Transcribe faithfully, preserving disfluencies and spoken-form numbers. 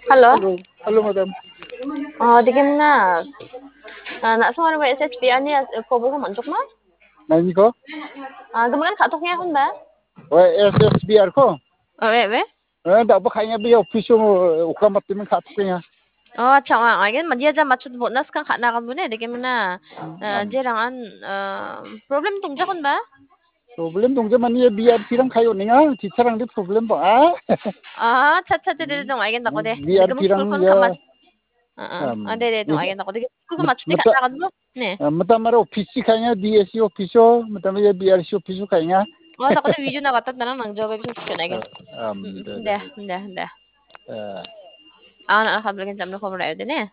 Hello. Hello, madam. Oh, dikemna. Ah, na suara S S B ani, ah, ko buku mantuk ma? Nani ko? Ah, kemudian kak toknya kan ba? Oh, S S B R ko? Oh, we, we. Eh, da ba kainya bi office mo, ukam mati men kak toknya. Oh, acha, wa, agen madia ja machut bonus kan kak na kan bune, dikemna. Ah, jerang an, ah, problem tungja kan ba? Problem dongja mani ya B R P rang kayo ninga, teacher rang di problem ba. Ah, cha cha cha de dong agen dako de. B R P rang ya. Ah, ah. Ah, de de dong agen dako de. Ku ma chute ka kan lo. Ne. Mata mara office si kainya D S C office o, mata mara B R C office o kainya. Oh, dako de video na kata nang jawab bisa kena agen. De de de. Ah, na ka belgen jamno khobor ayo de ne.